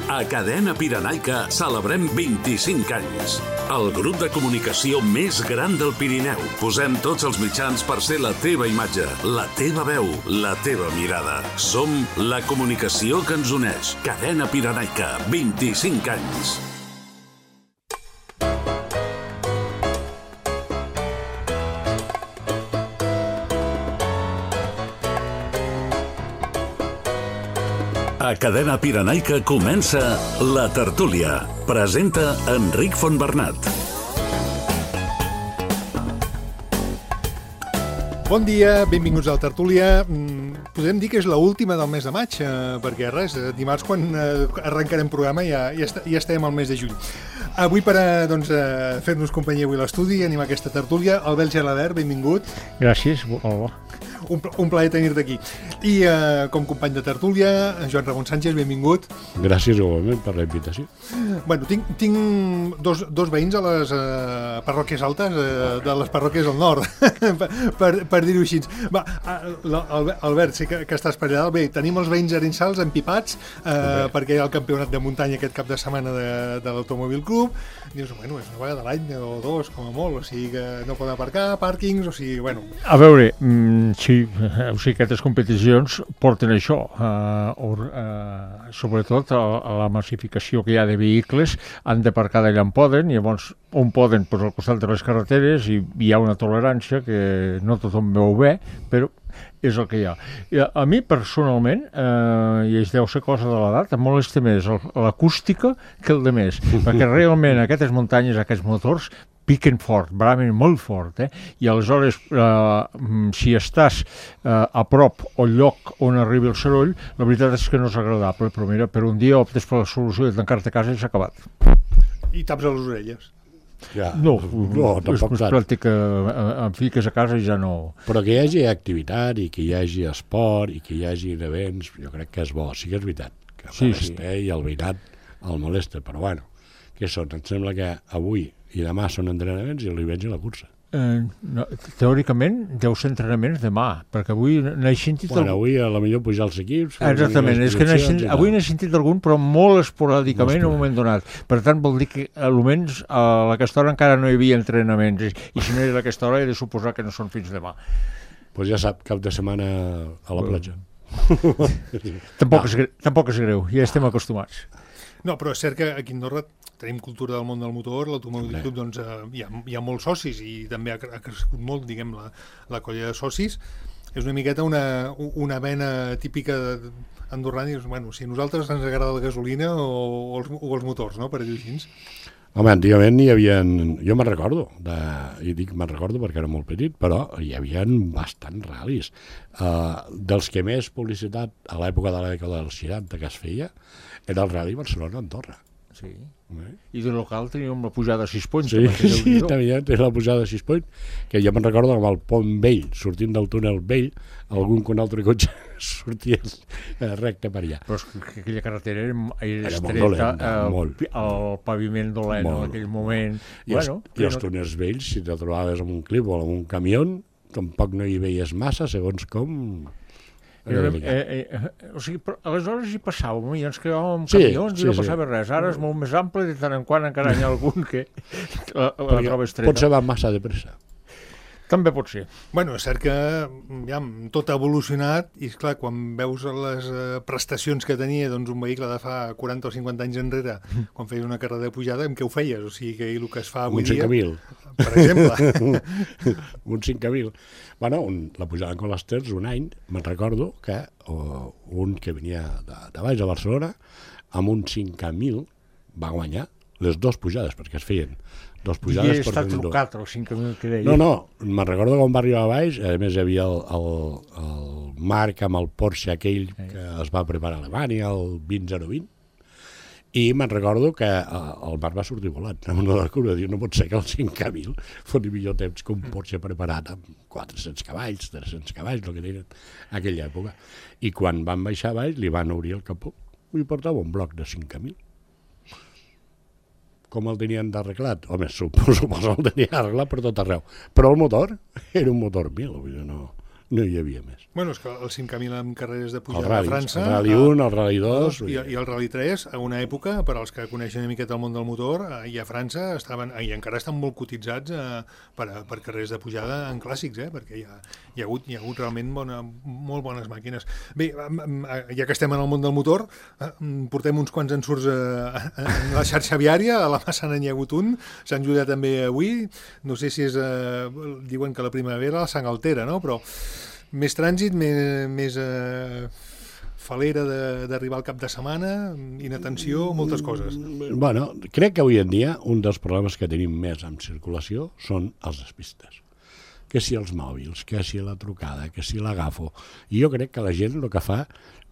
A Cadena Pirenaica celebrem 25 anys. El grup de comunicació més gran del Pirineu. Posem tots els mitjans per ser la teva imatge, la teva veu, la teva mirada. Som la comunicació que ens uneix. Cadena Pirenaica, 25 anys. A Cadena Pirenaica comença La Tertúlia. Presenta Enric Fontbernat. Bon dia, benvinguts a La Tertúlia. Podem dir que és l'última del mes de maig, perquè res, dimarts quan arrencarem programa ja estem al mes de juny. Avui per fer-nos companyia avui a l'estudi, animar aquesta tertúlia, Albert Gelabert, benvingut. Gràcies, hola. Un plaer tenir-te aquí. I com company de tertúlia, Joan Ramon Sánchez, benvingut. Gràcies igualment per la invitació. Bueno, tinc dos veïns a les parròquies altes de les parròquies del nord, per dir-ho així. Va, Albert, sé que estàs per allà. Bé, tenim els veïns arençals empipats perquè hi ha el campionat de muntanya aquest cap de setmana de l'Automòbil Club. Dius, bueno, és una vegada a l'any o dos, com a molt, o sigui que no poden aparcar, pàrquings, o sigui, bueno... A veure, sí, o sigui, aquestes competicions porten això, sobretot a la massificació que hi ha de vehicles, han d'aparcar d'allà on poden, i llavors on poden, doncs, al costat de les carreteres, i hi ha una tolerància que no tothom veu bé, però és el que hi ha. A mi, personalment, i es deu ser cosa de l'edat, em molesta més l'acústica que el de més, perquè realment aquestes muntanyes, aquests motors, piquen fort, bramen molt fort, i aleshores, si estàs a prop o al lloc on arribi el soroll, la veritat és que no és agradable, però mira, per un dia optes per la solució de tancar-te a casa i s'ha acabat. I taps a les orelles. Ja. No, és més pràctic que em fiques a casa i ja no... Però que hi hagi activitat i que hi hagi esport i que hi hagi events, jo crec que és bo. Sí que és veritat, que molesta i el veïnat el molesta, però bueno, què són? Em sembla que avui i demà són entrenaments i el diumenge la cursa. No, teòricament deu ser entrenaments demà, perquè avui n'he sentit... Bueno, avui a la millor pujar els equips... Exactament, és que avui n'he sentit algun, però molt esporàdicament en un moment donat. Per tant, vol dir que almenys a aquesta hora encara no hi havia entrenaments, i si no era a aquesta hora he de suposar que no són fins demà. Doncs ja sap, cap de setmana a la platja. Tampoc és greu, ja estem acostumats. No, però és cert que aquí a Andorra tenim cultura del món del motor, l'Automòbil Club, doncs hi ha molts socis i també ha crescut molt, diguem, la colla de socis. És una miqueta una vena típica andorrana, i bueno, si a nosaltres ens agrada la gasolina o els motors, no?, per dir-ho així. Home, antigament hi havia... Jo me'n recordo, i dic me'n recordo perquè era molt petit, però hi havia bastants ral·lis. Dels que més publicitat a l'època de la dècada dels 60 que es feia, era el Rally Barcelona-Andorra. Sí. I de local teníem la pujada a 6 ponts. Sí, també tenia la pujada a 6 ponts, que jo me'n recordo amb el pont vell, sortint del túnel vell, algun que un altre cotxe sortia recte per allà. Però és que aquella carretera era estreta, el paviment dolent en aquell moment. I els túnels vells, si te trobaves amb un clip o amb un camió, tampoc no hi veies massa, segons com... O sigui, aleshores hi passàvem i ens quedàvem amb camions i no passava res. Ara és molt més ample i de tant en quant encara hi ha algun que la troba estreta. Potser va massa de pressa. També pot ser. Bueno, és cert que ja, tot ha evolucionat i, esclar, quan veus les prestacions que tenia doncs, un vehicle de fa 40 o 50 anys enrere, quan feies una carrera de pujada, amb què ho feies? O sigui, que el que es fa avui dia... Un 5.000. Per exemple. Un 5.000. Bueno, la pujada con les Terres, un any, me'n recordo que un que venia de baix a Barcelona, amb un 5.000 va guanyar les dues pujades, perquè es feien dues pujades per estat trucat, el 5.000 que deia. No, me'n recordo quan va arribar a baix, a més hi havia el Marc amb el Porsche aquell que es va preparar a Alemanya, el 20-020, i me'n recordo que el Marc va sortir volant amb una de la curva, diu, no pot ser que el 5.000 fos millor temps que un Porsche preparat amb 400 cavalls, 300 cavalls, el que tenien en aquella època. I quan van baixar a baix li van obrir el capó i portava un bloc de 5.000. Com el tenien d'arreglat? Home, suposo que el tenien arreglat per tot arreu. Però el motor era un motor 1000, no no hi havia més. Bueno, és que el 5K1000 amb carreres de El pujada a Rally, França... el Rally 1, el Rally 2... I el Rally 3, a una època, per als que coneixen una miqueta el món del motor, i a França estaven, i encara estan molt cotitzats per carreres de pujada en clàssics, perquè hi ha hagut realment molt bones màquines. Bé, ja que estem en el món del motor, portem uns quants ensurts en la xarxa viària, a la Massana n'hi ha hagut un, Sant Julià també avui, no sé si és... diuen que la primavera la sang altera, no? Però més trànsit, més falera d'arribar al cap de setmana, inatenció, moltes coses. Bueno, crec que avui en dia un dels problemes que tenim més en circulació són els despistes. Que si els mòbils, que si la trucada, que si l'agafo. I jo crec que la gent el que fa,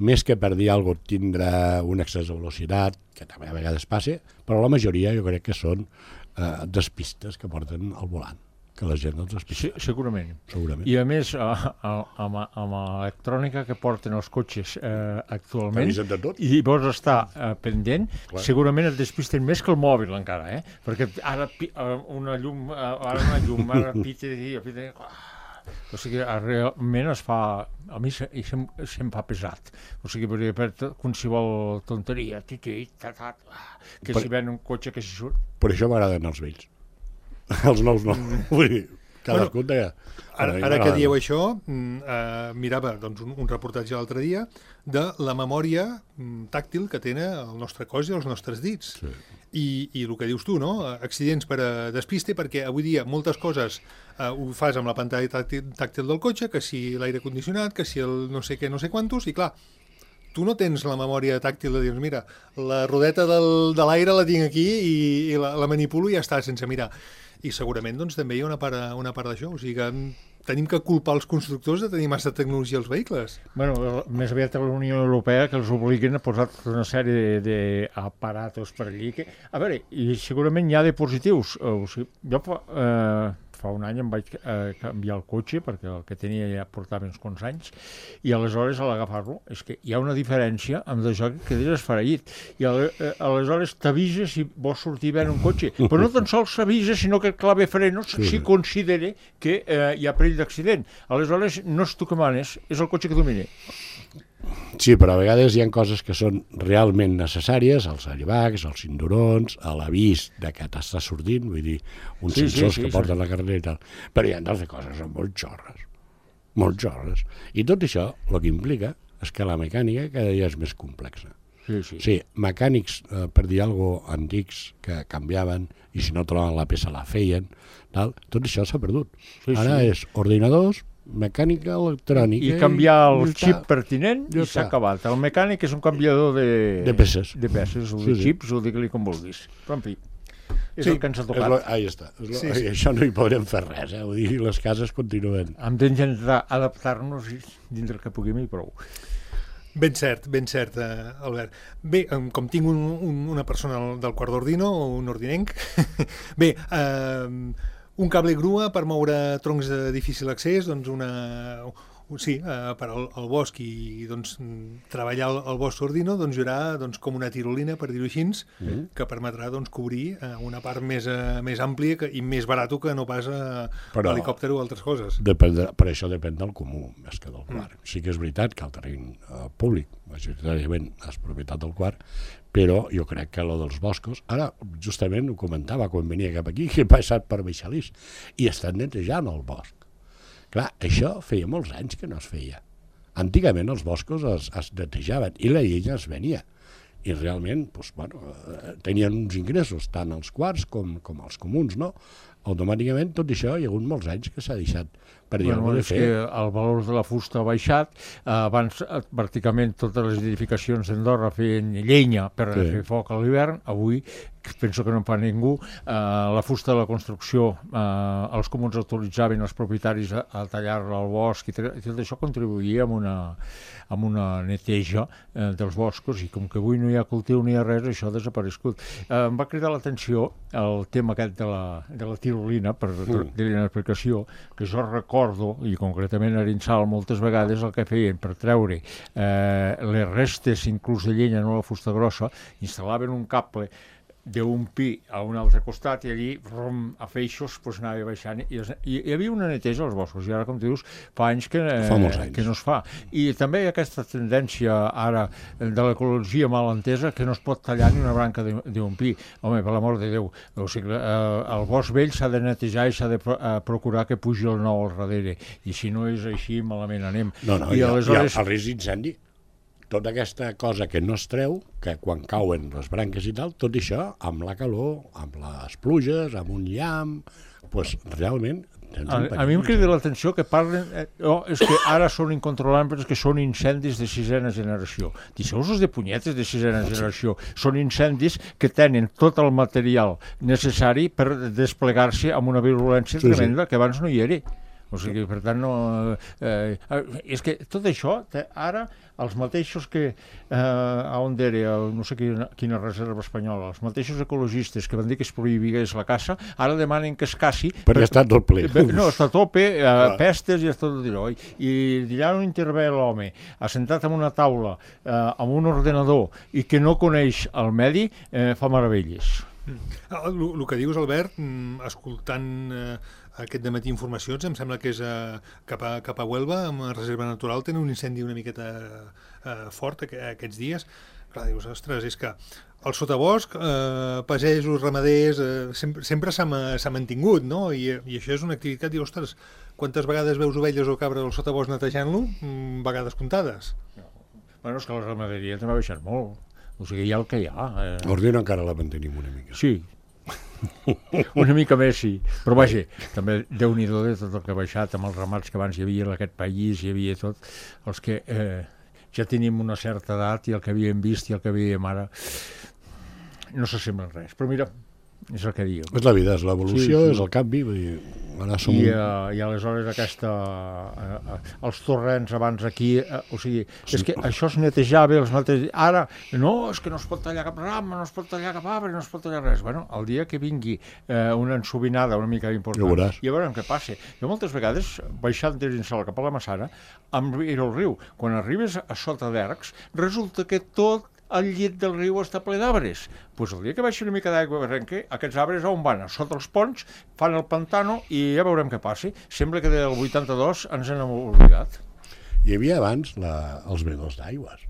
més que per dir alguna cosa, tindrà un excés de velocitat, que també a vegades passa, però la majoria jo crec que són despistes que porten al volant. Que la gent els despista. Sí, segurament. I a més, amb l'electrònica que porten els cotxes actualment, i vols estar pendent, segurament et despisten més que el mòbil encara, perquè ara una llum, ara pita, o sigui, realment es fa, a mi se'm fa pesat, o sigui, per qualsevol tonteria, que si ven un cotxe que s'hi surt. Per això m'agraden els vells. Els nous no. Vull dir, cadascú té... Ara que dieu això, mirava un reportatge l'altre dia de la memòria tàctil que tenen el nostre cos i els nostres dits. I el que dius tu, no? Accidents per despiste, perquè avui dia moltes coses ho fas amb la pantalla tàctil del cotxe, que si l'aire condicionat, que si el no sé què, no sé quantos, i clar, tu no tens la memòria tàctil de dir, mira, la rodeta de l'aire la tinc aquí i la manipulo i ja està, sense mirar. I segurament doncs, també hi ha una part d'això, o sigui que tenim que culpar els constructors de tenir massa tecnologia als vehicles. Bueno, més aviat a la Unió Europea que els obliguen a posar una sèrie d'aparatos per allí. A veure, i segurament hi ha de positius. O sigui, jo fa un any em vaig canviar el cotxe, perquè el que tenia ja portava uns quants anys, i aleshores a l'agafar-lo és que hi ha una diferència amb això que quedes esfereït. I aleshores t'avisa si vols sortir bé en un cotxe, però no tan sols s'avisa, sinó que el clave frenos si considera que hi ha perill d'accident. Aleshores no és tu que manes, és el cotxe que domina. Sí, però a vegades hi ha coses que són realment necessàries, els airbags, els cinturons, l'avís de que t'està sortint, vull dir, uns sensors que porten la carretera i tal. Però hi ha d'altres coses, són molt xorres. I tot això el que implica és que la mecànica cada dia és més complexa. Sí, mecànics, per dir alguna cosa, antics que canviaven i si no trobaven la peça la feien, tal, tot això s'ha perdut. Ara és ordinadors, mecànica electrònica... I canviar el xip pertinent i s'ha acabat. El mecànic és un canviador de peces. De peces, o de xips, o digue-li com vulguis. Però, en fi, és el que ens ha tocat. Ahí està. Això no hi podrem fer res, vull dir, les cases continuen. Hem d'intentar adaptar-nos dintre que puguem i prou. Ben cert, Albert. Bé, com tinc una persona del quart d'Ordino, un ordinenc, bé, un cable grua per moure troncs de difícil accés, doncs per al bosc i doncs, treballar el bosc Ordino doncs, hi haurà com una tirolina, per dir-ho així, que permetrà doncs, cobrir una part més àmplia i més barat que no pas l'helicòpter o altres coses. Per això depèn del comú, més que del quart. Sí que és veritat que el terreny públic, majoritàriament, és propietat del quart, però jo crec que lo dels boscos, ara justament ho comentava quan venia cap aquí, que he passat per Baixalís, i estan netejant el bosc. Clar, això feia molts anys que no es feia. Antigament els boscos es netejaven i la llenya es venia. I realment tenien uns ingressos, tant els quarts com els comuns, no? Automàticament tot això hi ha hagut molts anys que s'ha deixat per dir alguna cosa de fer. El valor de la fusta ha baixat, abans pràcticament totes les edificacions d'Andorra feien llenya per fer foc a l'hivern, avui penso que no en fa ningú, la fusta de la construcció els comuns autoritzaven els propietaris a tallar-la al bosc i tot això contribuïa amb una neteja dels boscos i com que avui no hi ha cultiu ni hi ha res, això ha desaparegut. Em va cridar l'atenció el tema aquest de la tirolina, per dir-li una explicació, que jo recordo, i concretament a Arinsal moltes vegades el que feien per treure les restes inclús de llenya, no la fusta grossa, instal·laven un cable d'un pi a un altre costat i allí, a feixos, anava baixant. I hi havia una neteja als boscos, i ara, com tu dius, fa anys que no es fa. I també hi ha aquesta tendència ara de l'ecologia mal entesa que no es pot tallar ni una branca d'un pi. Home, per l'amor de Déu, o sigui, el bosc vell s'ha de netejar i s'ha de procurar que pugi el nou al darrere, i si no és així, malament anem. I aleshores... el risc d'incendi, tota aquesta cosa que no es treu, que quan cauen les branques i tal, tot això, amb la calor, amb les pluges, amb un llamp, doncs realment... A mi em crida l'atenció que parlen... és que ara són incontrolables, que són incendis de sisena generació. Deixeu-vos de punyetes de sisena generació. Són incendis que tenen tot el material necessari per desplegar-se amb una virulència tremenda que abans no hi era. O sigui, per tant, no... és que tot això, ara, els mateixos que, on era, no sé quina reserva espanyola, els mateixos ecologistes que van dir que es prohibigués la caça, ara demanen que es caci... Perquè està tot ple. No, està a tope, pestes i està tot allò. I allà on intervé l'home, assentat en una taula, amb un ordenador, i que no coneix el medi, fa meravelles. El que dius, Albert, escoltant aquest dematí informacions, em sembla que és cap a Huelva, amb reserva natural, tenen un incendi una miqueta fort aquests dies. Clar, dius, ostres, és que el sotabosc, pagesos, ramaders, sempre s'ha mantingut, no? I això és una activitat, dius, ostres, quantes vegades veus ovelles o cabres al sotabosc netejant-lo? Vegades comptades. Bueno, és que la ramaderia també ha baixat molt. O sigui, hi ha el que hi ha. L'ordina encara la mantenim una mica. Sí. Una mica més, sí. Però vaja, també Déu-n'hi-do de tot el que ha baixat, amb els ramats que abans hi havia en aquest país, hi havia tot, els que ja tenim una certa edat i el que havíem vist i el que veiem ara no s'assemblen res. Però mira, és el que diu. És la vida, és l'evolució, és el canvi. Vull dir, ara som... I aleshores els torrents abans aquí, o sigui, és que això es netejava, ara, no, és que no es pot tallar cap rama, no es pot tallar cap arbre, no es pot tallar res. Bueno, el dia que vingui una ensobinada una mica important, ja veurem què passa. Jo moltes vegades, baixant des d'Insal cap a la Massana, em miro el riu. Quan arribes a sota d'Ercs, resulta que tot el llit del riu està ple d'arbres. Doncs el dia que baixi una mica d'aigua barrenca, aquests arbres on van? Sota els ponts, fan el pantano i ja veurem què passi. Sembla que del 82 ens n'hem oblidat. Hi havia abans els venedors d'aigües,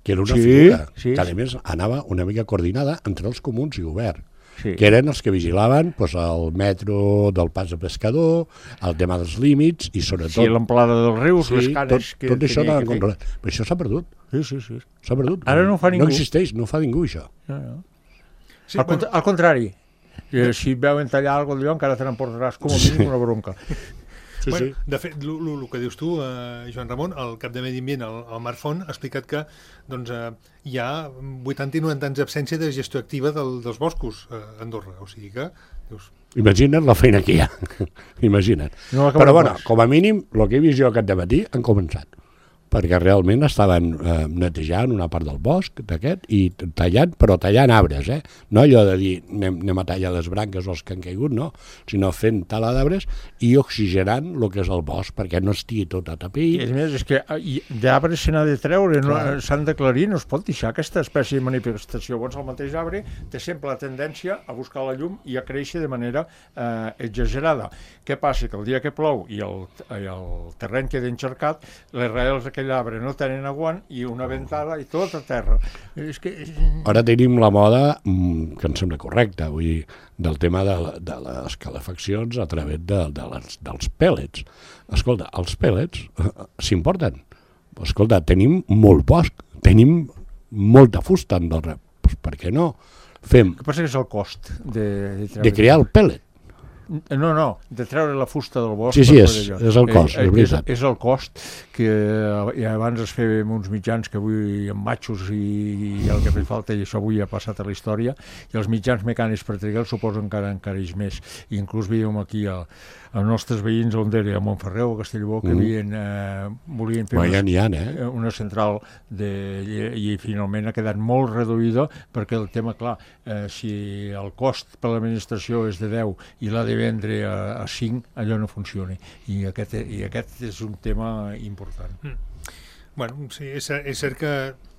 que era una figura que a més anava una mica coordinada entre els comuns i govern. Que eren els que vigilaven el metro del pas de pescador, el tema dels límits i sobretot... Sí, l'amplada dels rius, les canes... Tot això anava controlat. Però això s'ha perdut. Sí. S'ha perdut. Ara no ho fa ningú. No existeix, no ho fa ningú, això. Al contrari, si et veuen tallar alguna cosa d'allò encara te n'emportaràs com a mínim una bronca. Bueno, de fet, el que dius tu, Joan Ramon, el cap de Medi Ambient, el Marc Font, ha explicat que hi ha 80 i 90 anys d'absència de gestió activa dels boscos a Andorra. O sigui que... Imagina't la feina que hi ha. Imagina't. Però, bueno, com a mínim, el que he vist jo aquest dematí han començat. Perquè realment estaven netejant una part del bosc d'aquest i tallant, però tallant arbres, no allò de dir anem a tallar les branques o els que han caigut, no, sinó fent tala d'arbres i oxigenant el que és el bosc perquè no estigui tot atapeït. A més, és que d'arbres se n'ha de treure, s'han d'aclarir, no es pot deixar aquesta espècie de manifestació. Llavors el mateix arbre té sempre la tendència a buscar la llum i a créixer de manera exagerada. Què passa? Que el dia que plou i el terreny queda encharcat, les raïls d'aquell arbre no tenen aguant i una ventada i tot a terra. Ara tenim la moda, que em sembla correcta, vull dir, del tema de les calefaccions a través dels pèl·lets. Escolta, els pèl·lets s'importen. Escolta, tenim molt bosc, tenim molta fusta a Andorra. Per què no fem... El que passa que és el cost de crear el pèl·let. No, de treure la fusta del bosc. Sí, és el cost, és veritat. És el cost que abans es feia amb uns mitjans que avui amb matxos i el que fa falta, i això avui ha passat a la història, i els mitjans mecànics per trigar suposo encara encareix més. I inclús veiem aquí els nostres veïns on era, a Montferreu, a Castellbó, que volien fer una central i finalment ha quedat molt reduïda perquè el tema, clar, si el cost per l'administració és de 10 i l'ha de vendre a 5, allò no funciona. I aquest és un tema important. Bueno, sí, és cert que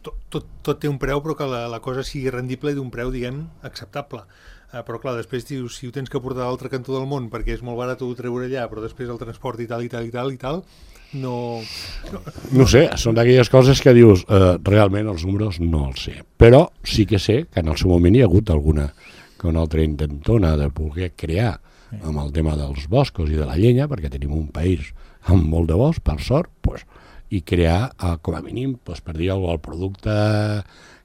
tot té un preu, però que la cosa sigui rendible d'un preu, diguem, acceptable. Però clar, després dius, si ho tens que portar a l'altre cantó del món perquè és molt barat ho treure allà, però després el transport i tal, no sé, són d'aquelles coses que dius, realment els números no els sé, però sí que sé que en el seu moment hi ha hagut alguna altra intentona de poder crear amb el tema dels boscos i de la llenya, perquè tenim un país amb molt de bosc, per sort, i crear, com a mínim, per dir el producte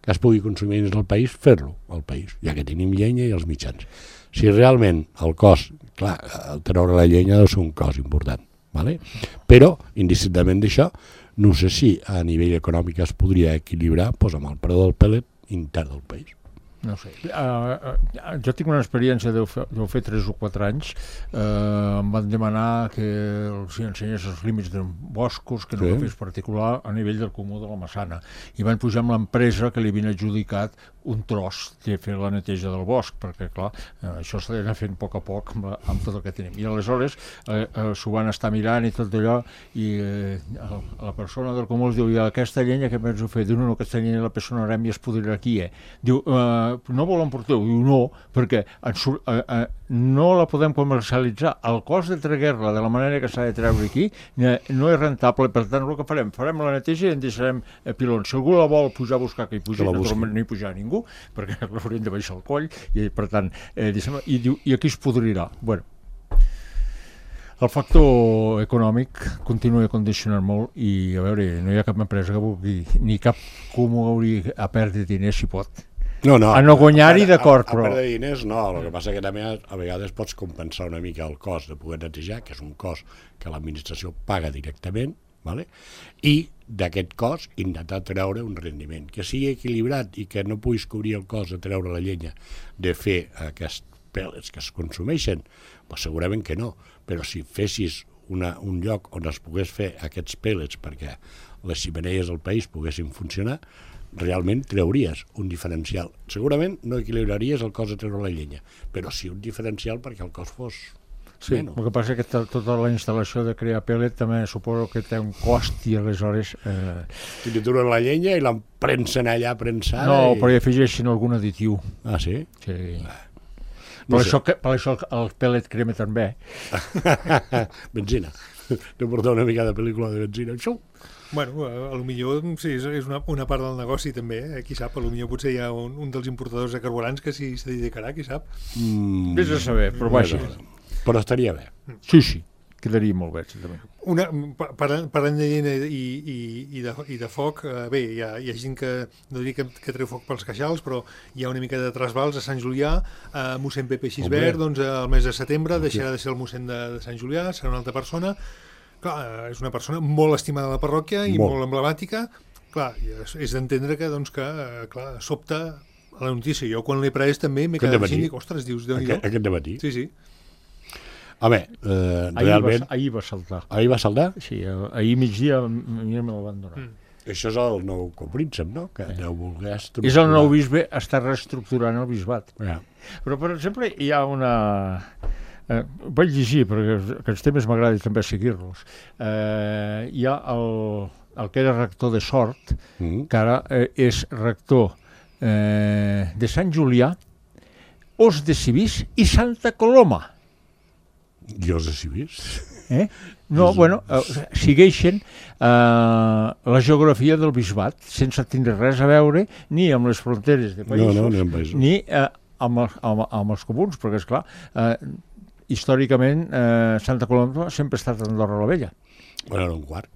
que es pugui consumir dins del país, fer-lo al país, ja que tenim llenya i els mitjans. Si realment el cost, clar, treure la llenya deu ser un cost important, ¿vale? Però, indistintament d'això, no sé si a nivell econòmic es podria equilibrar amb el preu del pèl·let intern del país. No sé. Jo tinc una experiència, deu fer 3 o 4 anys, em van demanar que els ensenyés els límits de boscos, que no ho fes particular a nivell del Comú de la Massana. I van pujar amb l'empresa que li havien adjudicat un tros de fer la neteja del bosc, perquè clar, això s'ha d'anar fent a poc amb tot el que tenim. I aleshores s'ho van estar mirant i tot allò, i la persona del Comú els diu, i aquesta llenya que penso fer? Diu, no, aquesta llenya la personarem i es podrà aquí, Diu, no volen portar-ho? Diu, no, perquè no la podem comercialitzar. El cost de treure-la de la manera que s'ha de treure aquí no és rentable, per tant, el que farem la neteja i en deixarem pilons. Si algú la vol pujar a buscar, que hi pugi, naturalment no hi pujarà ningú, perquè l'haurem de baixar el coll, i per tant, i aquí es podrirà. Bueno, el factor econòmic continua condicionant molt i, a veure, no hi ha cap empresa que vulgui, ni cap comú hauria a perdre diners si pot. No, a no guanyar-hi, d'acord, però... A perdre diners no, el que passa que també a vegades pots compensar una mica el cost de poder netejar, que és un cost que l'administració paga directament, ¿vale? I d'aquest cost intentar treure un rendiment que sigui equilibrat i que no puguis cobrir el cost de treure la llenya de fer aquests pèl·lets que es consumeixen, doncs segurament que no, però si fessis un lloc on es pogués fer aquests pèl·lets perquè les xemeneies del país poguessin funcionar, realment trauries un diferencial. Segurament no equilibraries el cost de treure la llenya, però sí un diferencial perquè el cost fos sí, menys. El que passa és que tota la instal·lació de crear pèl·let també suposo que té un cost i aleshores... Trituren la llenya i l'emprensen allà prensada... No, però hi afegeixen algun additiu. Ah, sí? Sí. Per això el pèl·let crema també. Benzina. No portar una mica de pel·lícula de benzina. Xou! Bueno, a lo millor sí, és una part del negoci també, qui sap, a lo millor potser hi ha un dels importadors de carburants que s'hi dedicarà, qui sap. Vés a saber, però vaja. Però estaria bé. Sí, quedaria molt bé, també. Parlant de llenya i de foc, bé, hi ha gent que no diria que treu foc pels queixals, però hi ha una mica de trasbals a Sant Julià, mossèn Pepe Xisbert, doncs el mes de setembre deixarà de ser el mossèn de Sant Julià, serà una altra persona. Clar, és una persona molt estimada a la parròquia i molt emblemàtica. Clar, és d'entendre que, doncs, clar, sobta la notícia. Jo quan l'he pres també m'he quedat així i dic, ostres, dius, Déu-n'hi-do. Aquest dematí? Sí. Home, realment... Ahir va saltar. Ahir va saltar? Sí, ahir migdia me la van donar. Això és el nou copríncep, no? Que deu voler estructurar. És el nou bisbe, està reestructurant el bisbat. Ja. Però, per exemple, hi ha una... vaig llegir, perquè aquests temes m'agrada també seguir-los. Hi ha el que era rector de Sort, que ara és rector de Sant Julià, Os de Civís i Santa Coloma. I Os de Civís? No, bueno, segueixen la geografia del bisbat, sense tindre res a veure ni amb les fronteres de països, ni amb els comuns, perquè, esclar, històricament Santa Coloma sempre ha estat a Andorra la Vella. Bueno, era un quart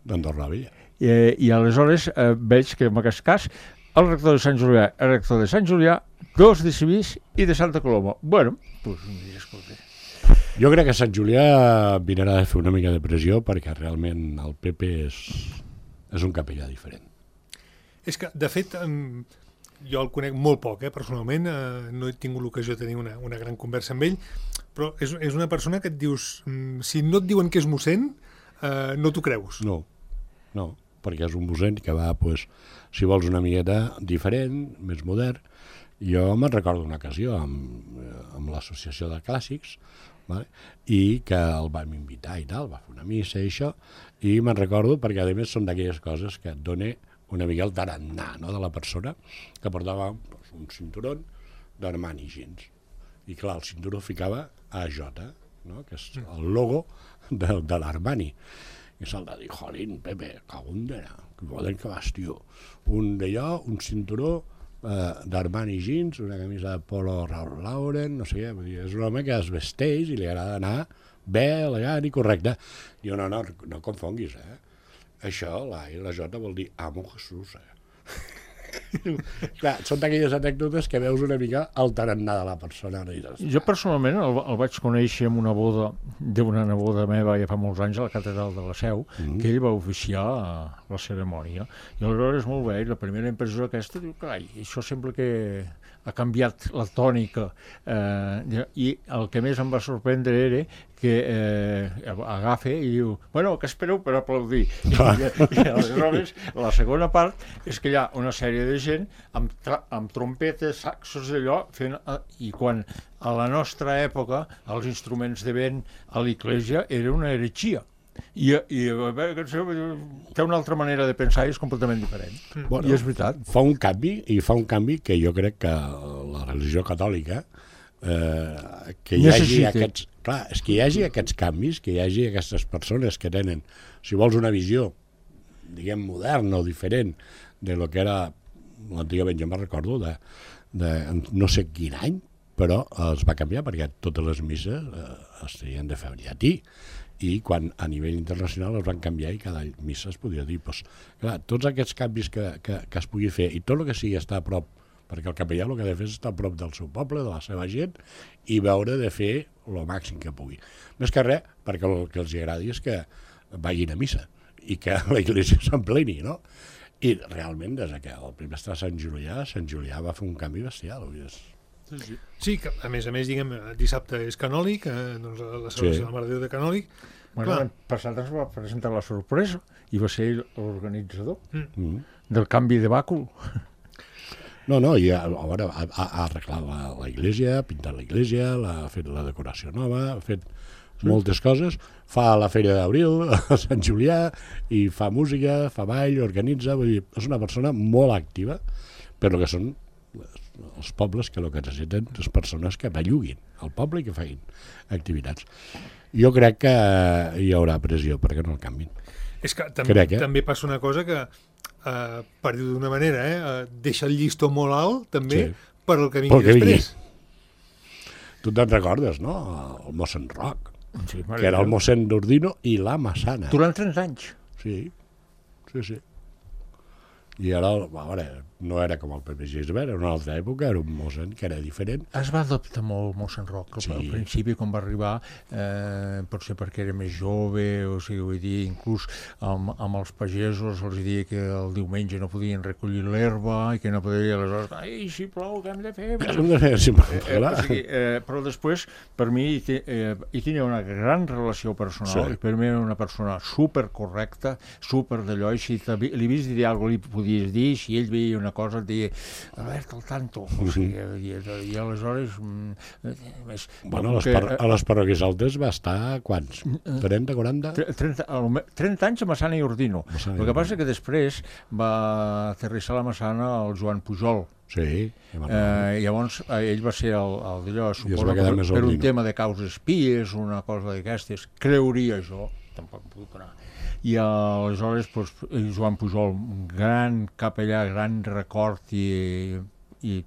d'Andorra la Vella. I aleshores veig que en aquest cas el rector de Sant Julià, el rector de Sant Julià, dos de Civís i de Santa Coloma. Bueno, doncs escolta. Jo crec que Sant Julià vinarà a fer una mica de pressió perquè realment el PP és un capellà diferent. És que, de fet, jo el conec molt poc, personalment, no he tingut l'ocasió de tenir una gran conversa amb ell, però és una persona que et dius, si no et diuen que és mossèn, no t'ho creus. No, perquè és un mossèn que va, si vols, una miqueta diferent, més modern. Jo me'n recordo una ocasió amb l'associació de clàssics, vale? I que el vam invitar i tal, va fer una missa i això, i me'n recordo perquè a més són d'aquelles coses que et dona una mica el tarannà, no?, de la persona, que portava un cinturó d'Armani Jeans. I clar, el cinturó ficava AJ, no?, que és el logo de l'Armani. I se'l va dir, jolín, Pepe, cagundera, que poden que vas, tio. Un d'allò, un cinturó d'Armani Jeans, una camisa de Polo Ralph Lauren, no sé què, vull dir, és un home que es vesteix i li agrada anar bé, elegant i correcte. Diu, no confonguis, Això, la I i la J vol dir amo Jesús, Clar, són d'aquelles anècdotes que veus una mica el tarannà de la persona. Jo personalment el vaig conèixer en una boda d'una neboda meva ja fa molts anys a la catedral de la Seu, que ell va oficiar la cerimònia. I aleshores molt bé, la primera impressió aquesta, diu, carai, això sembla que ha canviat la tònica, i el que més em va sorprendre era que agafa i diu, bueno, què espereu per aplaudir? I aleshores la segona part és que hi ha una sèrie de gent amb trompetes, saxos d'allò, i quan a la nostra època els instruments de vent a l'església era una heretgia. I té una altra manera de pensar i és completament diferent. Bueno, i és veritat. Fa un canvi que jo crec que la religió catòlica que hi hagi aquests, clar, és que hi hagi aquests canvis, que hi hagi aquestes persones que tenen, si vols, una visió, diguem, moderna o diferent de lo que era l'antigament. Jo me'n recordo de no sé quin any, però es va canviar perquè totes les misses es tenien de fer en llatí, i quan a nivell internacional es van canviar i cada missa es podia dir, doncs, clar, tots aquests canvis que es pugui fer i tot el que sigui estar a prop, perquè el capellà el que ha de fer és estar a prop del seu poble, de la seva gent, i veure de fer el màxim que pugui. Més que res, perquè el que els agradi és que vagin a missa i que la iglesia s'empleni, no? I realment, des que el primer està a Sant Julià va fer un canvi bestial. Sí, que a més, diguem, dissabte és canòlic, doncs la celebració de la Mare de Déu de canòlic. Bueno, l'any passat es va presentar la sorpresa i va ser l'organitzador del canvi de bàcul. No, i ha arreglat la iglesia, ha pintat la iglesia, ha fet la decoració nova, ha fet moltes coses, fa la Fèria d'Abril a Sant Julià i fa música, fa ball, organitza, vull dir, és una persona molt activa, però que són els pobles que el que necessiten les persones que belluguin al poble i que facin activitats. Jo crec que hi haurà pressió perquè no el canvin. És que també passa una cosa que, per dir d'una manera, deixa el llistó molt alt també per el que vingui després. Tu te'n recordes, no? El mossèn Roc, que era el mossèn d'Ordino i la Massana. Durant 30 anys. Sí. I ara, no era com el Pepe Gisbert, era una altra època, era un mossèn que era diferent. Es va adaptar molt mossèn Roc al principi, quan va arribar, potser perquè era més jove, o sigui, vull dir, inclús amb els pagesos els deia que el diumenge no podien recollir l'herba i que no podien, aleshores, ai, si plou, què hem de fer? Però després, per mi, hi tenia una gran relació personal, per mi era una persona supercorrecta, super d'allò, i si li havies de dir alguna cosa, li podies dir, si ell veia una cosa et deia, Albert, al tanto, o sigui, i aleshores bueno, a les parròquies altes va estar quants? 30, 40? 30 anys a Massana i Ordino. El que passa que després va aterrissar la Massana el Joan Pujol. Llavors ell va ser el d'allò, suposo que per un tema de causes pies, una cosa d'aquestes, creuria jo, tampoc puc anar. I aleshores Joan Pujol, gran capellà, gran record i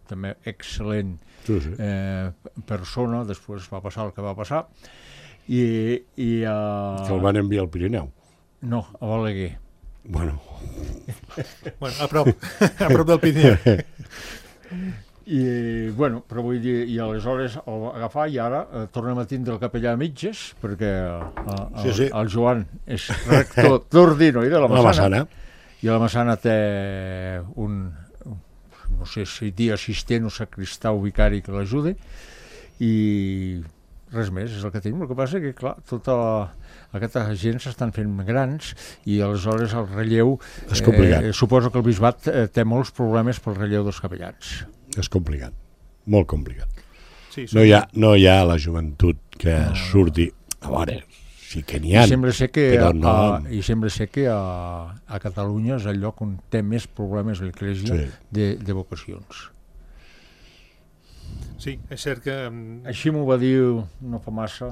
també excel·lent persona, després va passar el que va passar. Que el van enviar al Pirineu? No, a Balaguer. Bueno, a prop del Pirineu. Però vull dir, i aleshores el va agafar i ara tornem a tindre el capellà a mitges, perquè el Joan és rector d'Ordino i de la Massana, i la Massana té no sé si dir assistent o sacristà o vicari que l'ajudi, i res més, és el que tenim. El que passa que, clar, tota aquesta gent s'estan fent grans i aleshores el relleu és complicat. Suposo que el bisbat té molts problemes pel relleu dels capellans. És complicat, molt complicat. Sí, no hi ha la joventut que surti. A veure, sí que n'hi ha, però no... I sembla ser que a Catalunya és el lloc on té més problemes l'Església de vocacions. Sí, és cert que... Així m'ho va dir no fa massa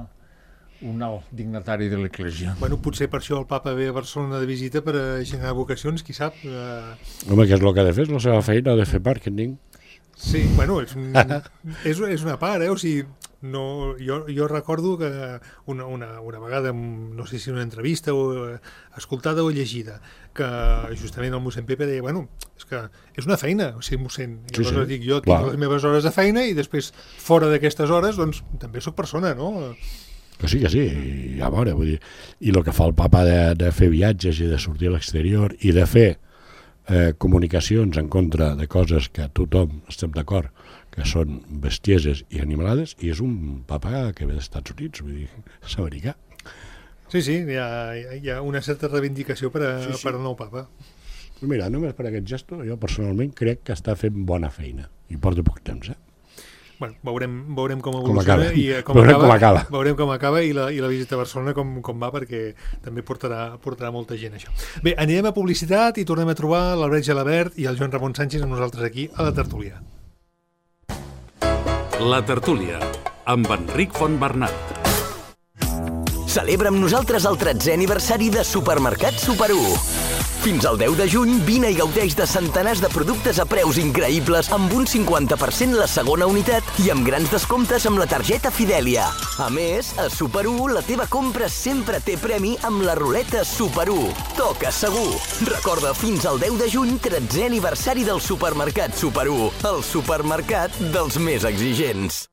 un alt dignatari de l'Església. Bueno, potser per això el papa ve a Barcelona de visita per generar vocacions, qui sap? Home, què és el que ha de fer? És la seva feina, ha de fer màrqueting. Sí, bueno, és una part, O sigui, no, jo recordo que una vegada, no sé si una entrevista o escoltada o llegida, que justament el mossèn Pepe deia, bueno, és que és una feina ser mossèn. I aleshores dic, jo tinc les meves hores de feina i després, fora d'aquestes hores, doncs també sóc persona, no? Que sí, a veure, vull dir, i el que fa el papa de fer viatges i de sortir a l'exterior i de fer comunicacions en contra de coses que tothom estem d'acord que són bestieses i animalades, i és un papa que ve dels Estats Units, vull dir, és americà. Sí, hi ha una certa reivindicació per al nou papa. Mira, només per aquest gesto, jo personalment crec que està fent bona feina, i porta poc temps, Bueno, veurem com evoluciona i veurem com acaba i la visita a Barcelona com va, perquè també portarà molta gent això. Bé, anirem a publicitat i tornem a trobar l'Albert Gelabert i el Joan Ramon Sánchez amb nosaltres aquí a la tertúlia. La tertúlia amb Enric Fontbernat. Celebra amb nosaltres el 13è aniversari de Supermercat Super 1. Fins al 10 de juny, vine i gaudeix de centenars de productes a preus increïbles amb un 50% la segona unitat i amb grans descomptes amb la targeta Fidèlia. A més, a Super 1 la teva compra sempre té premi amb la ruleta Super 1. Toca segur! Recorda, fins al 10 de juny, 13è aniversari del Supermercat Super 1, el supermercat dels més exigents.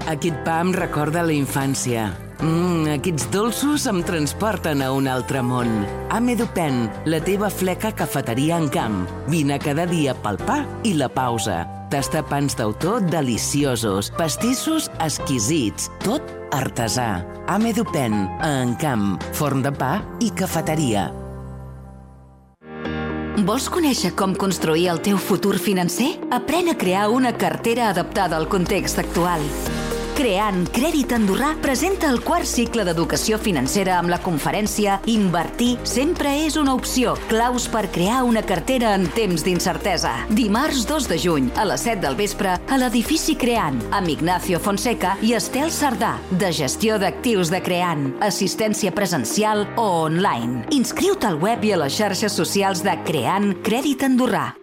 Aquest pa em recorda la infància. Aquests dolços em transporten a un altre món. Amedupen, la teva fleca cafeteria en camp. Vine cada dia pel pa i la pausa. Tasta pans d'autor deliciosos, pastissos exquisits, tot artesà. Amedupen, a Encamp, forn de pa i cafeteria. Vols conèixer com construir el teu futur financer? Aprèn a crear una cartera adaptada al context actual. Creant Crèdit Andorrà presenta el quart cicle d'educació financera amb la conferència Invertir sempre és una opció. Claus per crear una cartera en temps d'incertesa. Dimarts 2 de juny a les 7 del vespre a l'edifici Creant amb Ignacio Fonseca i Estel Sardà, de gestió d'actius de Creant, assistència presencial o online. Inscriu-te al web i a les xarxes socials de Creant Crèdit Andorrà.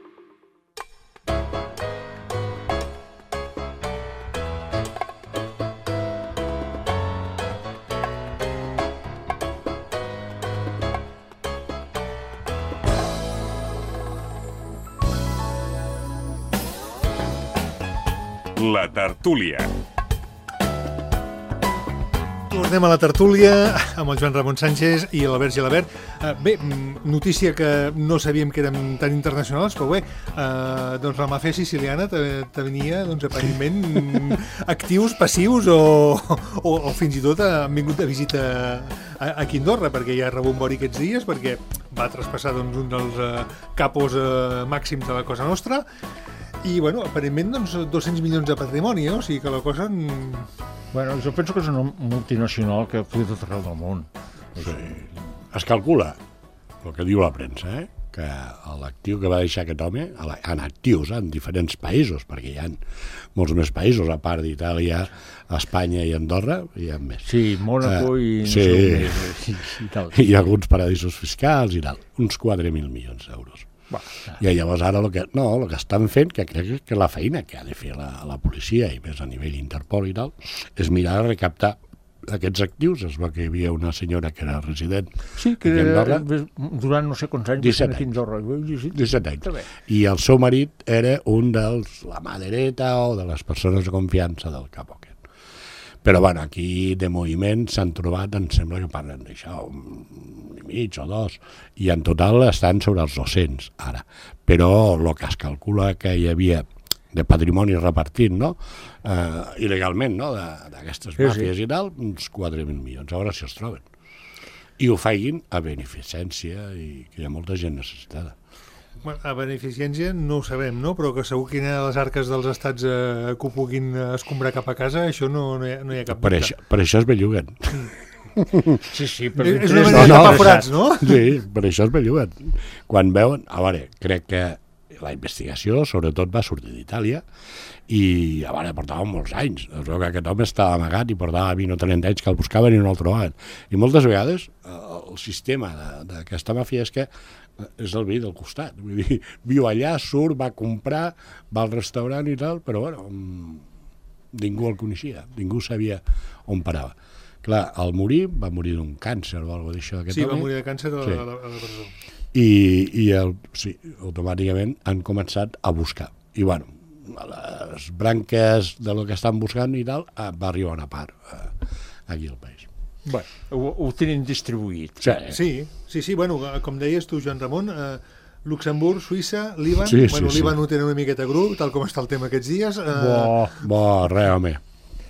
La tertúlia. Tornem a la tertúlia amb el Joan Ramon Sánchez i l'Albert Gelabert. Bé, notícia que no sabíem que érem tan internacionals, però bé, doncs la màfia siciliana tenia, doncs, aparentment actius, passius o fins i tot han vingut de visita aquí a Andorra, perquè ja ha rebut un bori aquests dies, perquè va traspassar doncs, un dels capos màxims de la Cosa Nostra. I, bueno, aparentment, doncs, 200 milions de patrimoni, o sigui que la cosa... Bueno, jo penso que és una multinacional que actua tot arreu del món. Sí. Es calcula, el que diu la premsa, que l'actiu que va deixar aquest home, en actius, en diferents països, perquè hi ha molts més països, a part d'Itàlia, Espanya i Andorra, hi ha més. Sí, Mònaco i... i tal. I alguns paradisos fiscals i tal. Uns 4.000 milions d'euros. I llavors ara el que estan fent, que crec que la feina que ha de fer la policia, i més a nivell Interpol i tal, és mirar de recaptar aquests actius. Es veu que hi havia una senyora que era resident que durant no sé quants anys 17 anys. I el seu marit era un la mà dreta o de les persones de confiança del cap aquest. Però bueno, aquí de moviment s'han trobat, em sembla que parlen d'això, un i mig o dos, i en total estan sobre els 200 ara. Però el que es calcula que hi havia de patrimoni repartit, no? Il·legalment, no? D'aquestes màfies i tal, uns 4.000 milions, a veure si els troben. I ho facin a beneficència, i que hi ha molta gent necessitada. A beneficència no ho sabem, no? Però que segur que hi ha les arques dels estats que ho puguin escombrar cap a casa, això no hi ha cap dubte. Per això es belluguen. Sí, és una manera de tapar forats, no? Sí, per això es belluguen. Quan veuen... A veure, crec que la investigació, sobretot, va sortir d'Itàlia i, a veure, portava molts anys. Es veu que aquest home estava amagat i portava 20 o 30 anys que el buscaven i no el trobaven. I moltes vegades el sistema d'aquesta màfia és que és el veí del costat. Vull dir, viu allà, surt, va comprar, va al restaurant i tal, però bueno, ningú el coneixia, ningú sabia on parava. Clar, al morir, va morir d'un càncer o alguna cosa d'això. Sí, va morir de càncer a la presó. I automàticament han començat a buscar. I bueno, a les branques de lo que estan buscant i tal, va arribar una part aquí al país. Bueno, ho tenen distribuït. Sí, bueno, com deies tu, Joan Ramon, Luxemburg, Suïssa, Líban, Líban ho tenen una miqueta grup, tal com està el tema aquests dies. Res, home.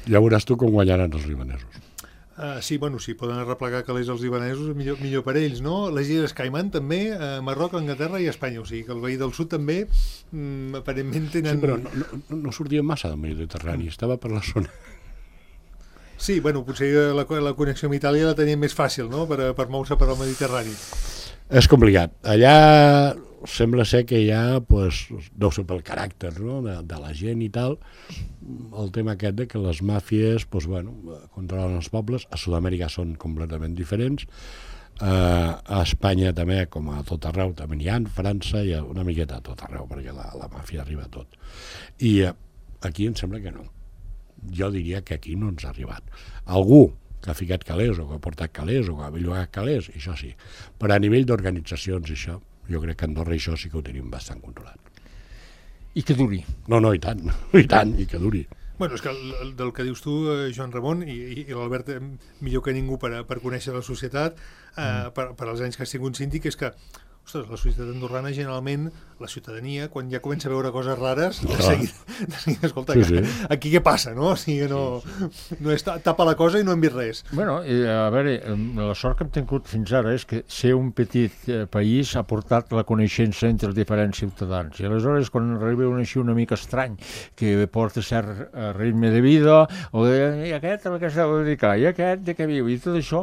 Ja veuràs tu com guanyaran els libanesos. Sí, poden arreplegar calés els libanesos, millor per ells, no? Les Illes Caiman també, Marroc, Anglaterra i Espanya, o sigui que el veí del sud també aparentment tenen... Sí, però no sortien massa del Mediterrani, estava per la zona... Sí, potser la connexió amb Itàlia la tenien més fàcil, no?, per moure-se per al Mediterrani. És complicat. Allà sembla ser que hi ha, deu ser pel caràcter, no?, de la gent i tal, el tema aquest de que les màfies, controlen els pobles. A Sud-amèrica són completament diferents. A Espanya també, com a tot arreu, també n'hi ha. França hi ha una miqueta a tot arreu, perquè la màfia arriba a tot. I aquí em sembla que no. Jo diria que aquí no ens ha arribat. Algú que ha ficat calés o que ha portat calés o que ha bellugat calés, això sí. Però a nivell d'organitzacions, això, jo crec que a Andorra això sí que ho tenim bastant controlat. I que duri. No, i tant, i que duri. És que del que dius tu, Joan Ramon, i l'Albert millor que ningú per conèixer la societat, per als anys que ha sigut síndic, és que la societat andorrana, generalment, la ciutadania, quan ja comença a veure coses rares, de seguida, escolta, aquí què passa, no? O sigui, no és tapa la cosa i no hem vist res. A veure, la sort que hem tingut fins ara és que ser un petit país ha portat la coneixença entre els diferents ciutadans. I aleshores, quan arriba un així una mica estrany, que porta cert ritme de vida, o i aquest a què s'ha de dedicar, i aquest de què viu, i tot això,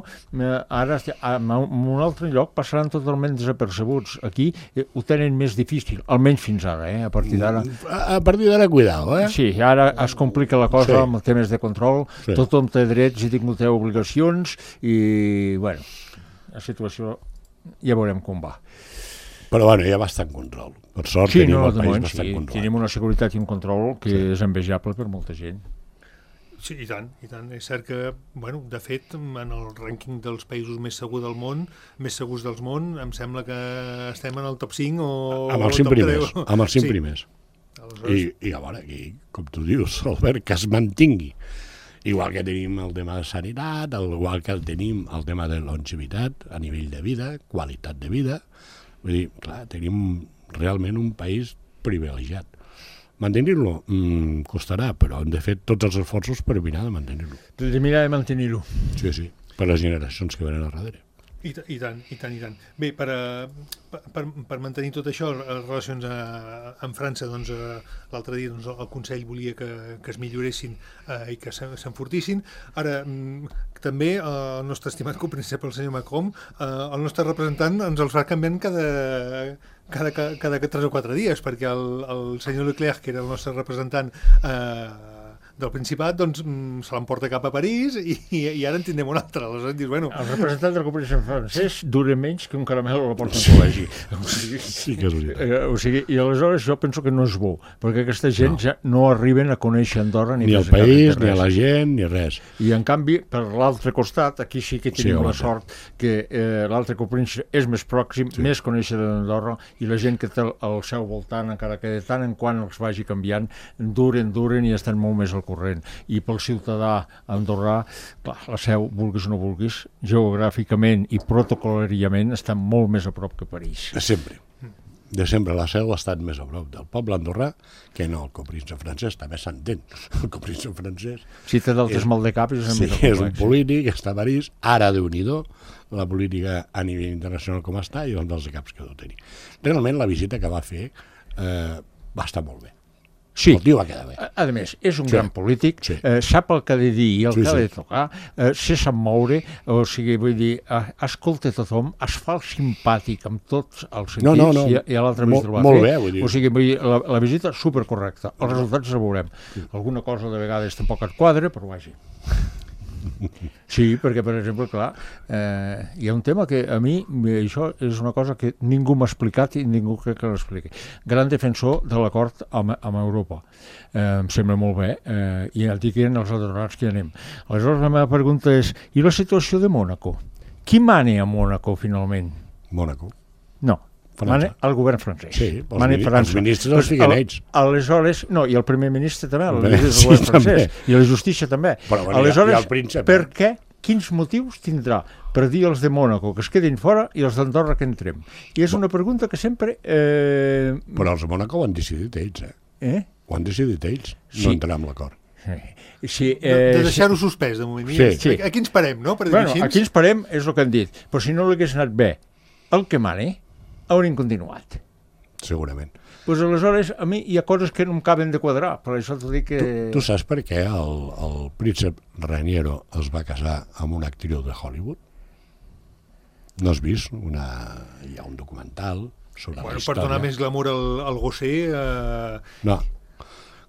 ara en un altre lloc passaran totalment desapercebuts. Aquí ho tenen més difícil, almenys fins ara, a partir d'ara. A partir d'ara, cuidao, Sí, ara es complica la cosa amb els temes de control, tothom té drets i té obligacions, i, la situació ja veurem com va. Però, hi ha bastant control. Per sort tenim el país bastant controlat. Tenim una seguretat i un control que és envejable per molta gent. Sí, i tant. És cert que, de fet, en el rànquing dels països més segurs del món, em sembla que estem en el top 5 o amb els 5 primers. Amb els 5 primers. I a veure, aquí, com tu dius, Albert, que es mantingui. Igual que tenim el tema de sanitat, igual que tenim el tema de longevitat a nivell de vida, qualitat de vida. Vull dir, clar, tenim realment un país privilegiat. Mantenir-lo costarà, però hem de fer tots els esforços per mirar de mantenir-lo. De mirar de mantenir-lo. Sí, per les generacions que venen a darrere. I tant. Bé, per mantenir tot això, les relacions amb França, l'altre dia el Consell volia que es milloressin i que s'enfortissin. Ara, també el nostre estimat copríncep, el senyor Macron, el nostre representant ens els fa canviant cada 3 o 4 dies, perquè el senyor Leclerc, que era el nostre representant del Principat, se l'emporta cap a París i ara en tindrem un altre. Aleshores dius, el representant del cooperació francès dura menys que un caramel a la porta del col·legi. Sí que és veritat. I aleshores jo penso que no és bo, perquè aquesta gent ja no arriben a conèixer Andorra ni el país, ni a la gent, ni res. I en canvi, per l'altre costat, aquí sí que tenim la sort que l'altre cooperació és més pròxim, més conèixer d'Andorra, i la gent que té al seu voltant, encara que de tant en quant els vagi canviant, duren i estan molt més al corrent. I pel ciutadà andorrà, clar, la Seu, vulguis o no vulguis, geogràficament i protocolàriament està molt més a prop que París. Sempre. de sempre la Seu ha estat més a prop del poble andorrà que no el copríncep francès, també s'entén. El copríncep francès... Si té d'altres mal de cap, és és un polític, està a París, ara Déu-n'hi-do, la política a nivell internacional com està i els de caps que deu tenir. Realment la visita que va fer va estar molt bé. Sí, el tio va quedar bé. A més, és un gran polític, sap el que ha de dir i el que ha de tocar, se sap moure, o sigui, vull dir, escolta tothom, es fa el simpàtic amb tots els sentits i a l'altre mig ho va fer. Molt bé, vull dir. O sigui, vull dir, la visita supercorrecta, els resultats els veurem. Alguna cosa de vegades tampoc et quadra, però vagi. Sí, perquè, per exemple, clar, hi ha un tema que a mi, això és una cosa que ningú m'ha explicat i ningú crec que l'expliqui. Gran defensor de l'acord amb Europa. Em sembla molt bé, i ja et dic els adorats que hi anem. Aleshores, la meva pregunta és, i la situació de Mònaco? Qui mana a Mònaco, finalment? Mònaco. No. Mana el govern francès. Sí, els ministres els fiquen ells. Aleshores, no, i el primer ministre també, el ministre del govern francès, i la justícia també. Aleshores, per què? Quins motius tindrà per dir els de Mònaco que es quedin fora i els d'Andorra que entrem? I és una pregunta que sempre... Però els de Mònaco ho han decidit ells, Ho han decidit ells, no entrar amb l'acord. Sí, de deixar-ho suspès, de moment. Sí. Aquí ens parem, no? Aquí ens parem, és el que han dit. Però si no l'hagués anat bé el que mani, haurien continuat. Segurament. Doncs aleshores, a mi hi ha coses que no em caben de quadrar, per això t'ho dic que... Tu saps per què el príncep Raniero es va casar amb una actriu de Hollywood? No has vist? Hi ha un documental sobre la història. Per donar més glamour al gosser... No.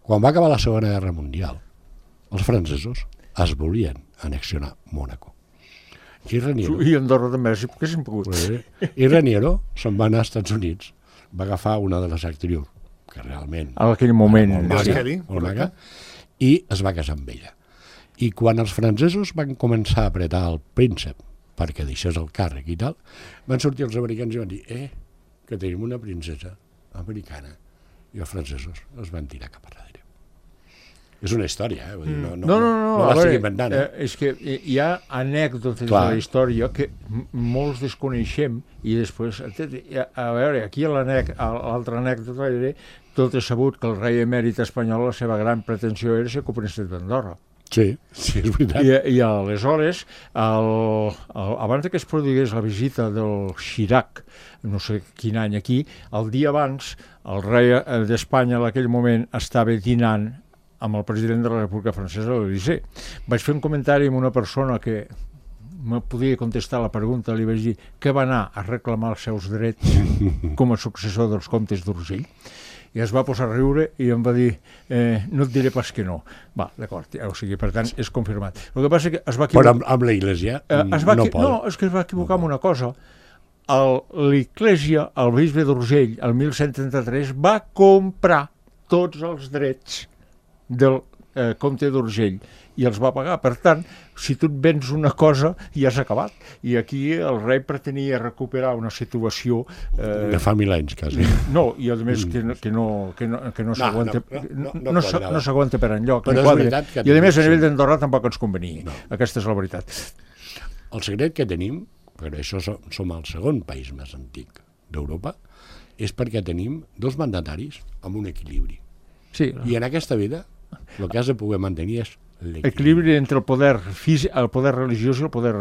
Quan va acabar la Segona Guerra Mundial, els francesos es volien annexionar Mònaco. I Andorra també, que s'han pogut. I Raniero se'n va anar als Estats Units, va agafar una de les actrius, que realment... En aquell moment... Molt maca, i es va casar amb ella. I quan els francesos van començar a apretar el príncep perquè deixés el càrrec i tal, van sortir els americans i van dir que tenim una princesa americana. I els francesos es van tirar cap a darrere. És una història, Vull dir, no l'estic inventant. És que hi ha anècdotes de la història que molts desconeixem i després, a veure, aquí l'altra anècdota era tot és sabut que el rei emèrit espanyol la seva gran pretensió era ser copríncep d'Andorra. Sí, és veritat. I aleshores, abans que es produís la visita del Chirac, no sé quin any aquí, el dia abans, el rei d'Espanya en aquell moment estava dinant amb el president de la República Francesa a l'Elysée. Vaig fer un comentari amb una persona que me podia contestar la pregunta, li vaig dir que va anar a reclamar els seus drets com a successor dels comtes d'Urgell, i es va posar a riure i em va dir no et diré pas que no. Va, d'acord, o sigui, per tant, és confirmat. El que passa és que es va equivocar... Però amb l'Església no pot. No, és que es va equivocar amb una cosa. L'Església, el bisbe d'Urgell, el 1133, va comprar tots els drets del comte d'Urgell i els va pagar. Per tant, si tu et vens una cosa, ja s'ha acabat. I aquí el rei pretenia recuperar una situació... de fa 1000 anys, quasi. No, i a més que no s'aguanta per enlloc. Però és veritat que... I a més, a nivell d'Andorra tampoc ens convenia. Aquesta és la veritat. El secret que tenim, perquè això som el segon país més antic d'Europa, és perquè tenim dos mandataris amb un equilibri. Sí. I en aquesta vida el que has de poder mantenir és l'equilibri entre el poder físic, el poder religiós i el poder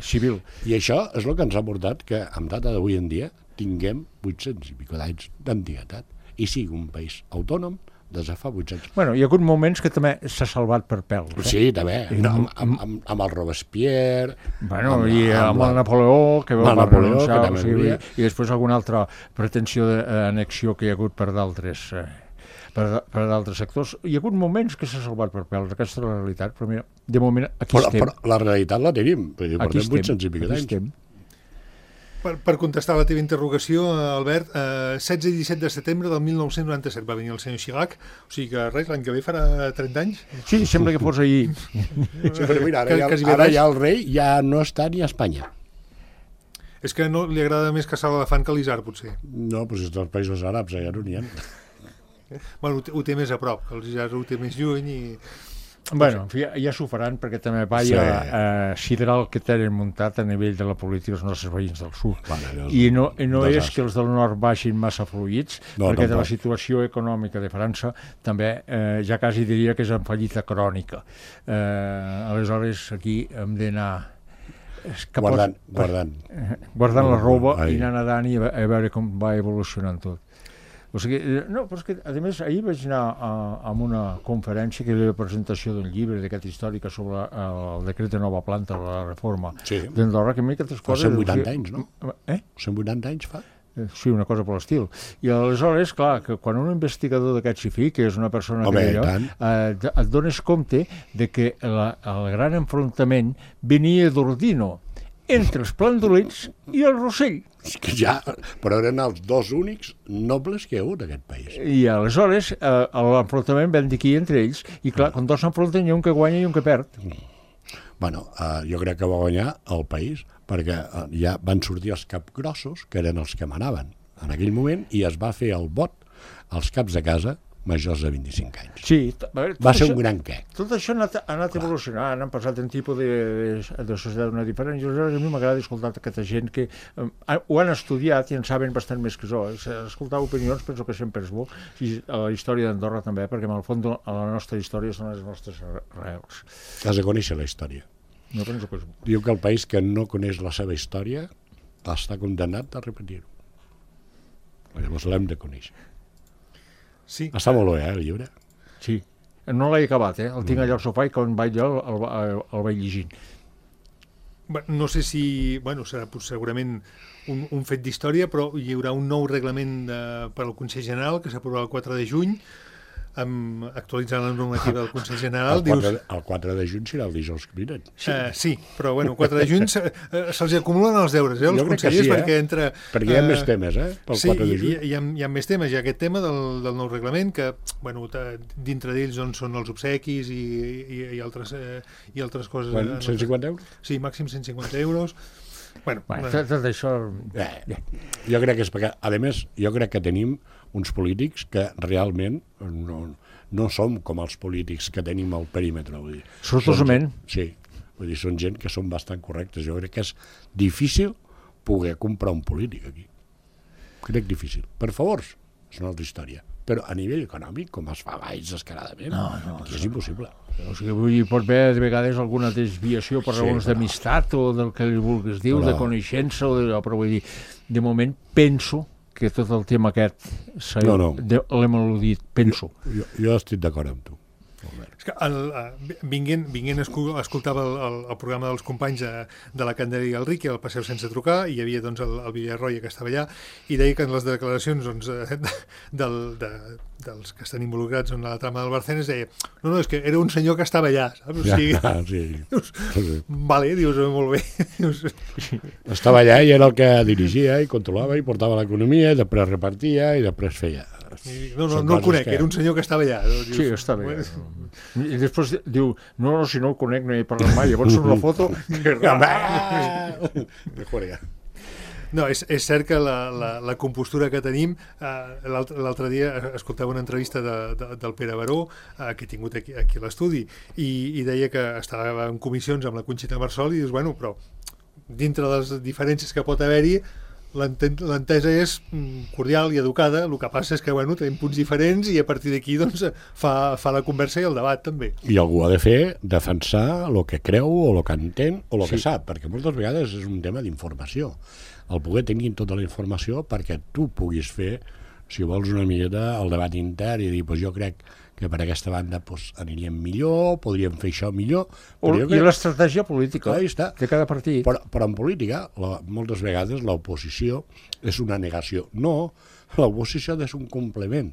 civil. I això és el que ens ha portat que, en data d'avui en dia, tinguem 800 i pico d'anys d'antiguitat i sigui un país autònom des de fa 800. Bueno, hi ha hagut moments que també s'ha salvat per pèl. Sí, també. Amb el Robespierre... Bueno, i amb el Napoleó, que va renunciar, i després alguna altra pretensió d'annexió que hi ha hagut per d'altres... per d'altres sectors. Hi ha hagut moments que s'ha salvat per pèl, aquesta és la realitat, però mira, de moment aquí estem. Però la realitat la tenim, perquè portem 800 i pico d'anys. Per contestar la teva interrogació, Albert, 16 i 17 de setembre del 1997 va venir el senyor Chirac, o sigui que res, l'any que ve farà 30 anys. Sí, sembla que fos ahir. Sí, però mira, ara ja el rei ja no està ni a Espanya. És que no li agrada més caçar l'elefant que l'isard, potser. No, però si és dels països àrabs, ja no n'hi ha. Bueno, ho té més a prop, el isard ho té més lluny i... Bueno, en fi, ja s'ho faran, perquè també va sidrar el que tenen muntat a nivell de la política els nostres veïns del sud. I no és que els del nord baixin massa fluïts, perquè de la situació econòmica de França també ja quasi diria que és en fallida crònica. Aleshores, aquí hem d'anar guardant la roba i anar nedant i a veure com va evolucionant tot. O sigui, no, però és que, a més, ahir vaig anar a una conferència que era la presentació d'un llibre d'aquesta històrica sobre el decret de nova planta de la reforma d'Andorra, que a mi aquestes coses... Fa 180 anys, no? 180 anys fa? Sí, una cosa per l'estil. I aleshores, clar, que quan un investigador d'aquests hi que és una persona et dones compte de que el gran enfrontament venia d'Ordino entre els plàndolids i el Rossell. Però eren els dos únics nobles que hi ha hagut en aquest país. I aleshores l'enfrontament vam dir aquí entre ells, i clar, quan dos s'enfronten hi ha un que guanya i un que perd. Bueno, jo crec que va guanyar el país, perquè ja van sortir els capgrossos, que eren els que manaven en aquell moment, i es va fer el vot als caps de casa majors de 25 anys. Sí, va ser un gran què. Tot això ha anat evolucionant, han passat un tipus de societat una diferent, i a mi m'agrada escoltar aquesta gent que ho han estudiat i en saben bastant més que jo. Escoltar opinions penso que sempre és bo, i a la història d'Andorra també, perquè en el fons la nostra història són les nostres arrels. Has de conèixer la història. No penso que és bo. Diu que el país que no coneix la seva història està condemnat a repetir-ho. Llavors l'hem de conèixer. Sí. Està molt bé, el llibre? Sí. No l'he acabat, el tinc allà al sofà i quan vaig allà el vaig llegint. No sé si... serà segurament un fet d'història, però hi haurà un nou reglament per al Consell General que s'aprovarà el 4 de juny, actualitzant la normativa del Consell General. El 4 de juny serà el dijous que vinen. Sí, però el 4 de juny se'ls acumulen els deures, els consellers, perquè entre... Perquè hi ha més temes, pel 4 de juny. Sí, hi ha més temes. Hi ha aquest tema del nou reglament, que dintre d'ells són els obsequis i altres coses. 150 euros? Sí, màxim 150 euros. Tot això... Jo crec que és perquè, a més, jo crec que tenim uns polítics que realment no som com els polítics que tenim al perímetre. Sortosament. Sí, són gent que són bastant correctes. Jo crec que és difícil poder comprar un polític aquí. Crec difícil. Per favors, és una altra història. Però a nivell econòmic, com es fa baix descaradament, aquí és impossible. O sigui, hi pot haver de vegades alguna desviació per raons d'amistat o del que li vulguis dir, de coneixença, però vull dir, de moment penso que tot el tema aquest l'hem al·ludit, penso. Jo estic d'acord amb tu. És que vinguent escoltava el programa dels companys de la Candela i el Riqui, el Passeu sense trucar, i hi havia el Villarroya que estava allà, i deia que en les declaracions dels que estan involucrats en la trama del Barcenes deia, no, és que era un senyor que estava allà, saps? O sigui, vale, dius, molt bé. Estava allà i era el que dirigia i controlava i portava l'economia i després repartia i després feia... No el conec, era un senyor que estava allà. Sí, estava allà. I després diu, no, si no el conec no hi he parlat mai, llavors surt la foto... No, és cert que la compostura que tenim, l'altre dia escoltava una entrevista del Pere Baró, que he tingut aquí a l'estudi, i deia que estava en comissions amb la Conxita Marsol, i dius, però dintre de les diferències que pot haver-hi, l'entesa és cordial i educada, el que passa és que tenim punts diferents i a partir d'aquí fa la conversa i el debat també. I algú ha de fer defensar el que creu o el que entén o el que sap, perquè moltes vegades és un tema d'informació, el poder tenir tota la informació perquè tu puguis fer, si vols una miqueta, el debat intern i dir, jo crec que per aquesta banda aniríem millor, podríem fer això millor. I l'estratègia política de cada partit. Però en política, moltes vegades, l'oposició és una negació. No, l'oposició és un complement.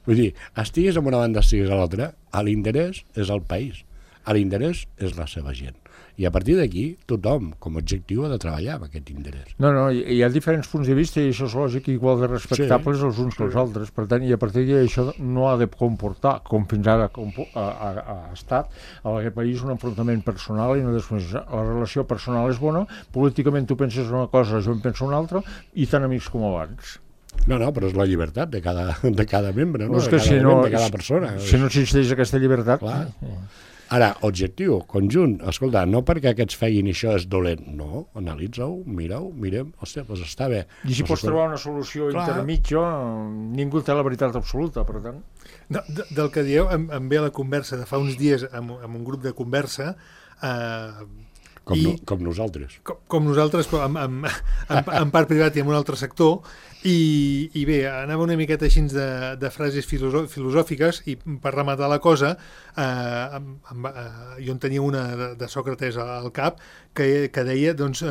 Vull dir, estiguis en una banda, estiguis a l'altra, l'interès és el país, l'interès és la seva gent. I a partir d'aquí, tothom, com a objectiu, ha de treballar amb aquest interès. No, hi ha diferents punts de vista i això és lògic, igual de respectables els uns que els altres. Per tant, i a partir d'aquí això no ha de comportar, com fins ara ha estat, a aquest país un enfrontament personal i no desconeixença. La relació personal és bona, políticament tu penses una cosa, jo en penso una altra, i tan amics com abans. No, però és la llibertat de cada membre, de cada persona. Si no existeix aquesta llibertat... Ara, objectiu, conjunt, escolta, no perquè aquests feien això és dolent, no, analitza-ho, mira-ho, mirem, hòstia, doncs està bé. I si pots trobar una solució intermitja, ningú té la veritat absoluta, per tant. Del que dieu, em ve a la conversa de fa uns dies amb un grup de conversa, com nosaltres. Com nosaltres, però en part privat i en un altre sector, i bé, anava una miqueta així de frases filosòfiques, i per rematar la cosa, jo en tenia una de Sòcrates al cap, que deia, doncs,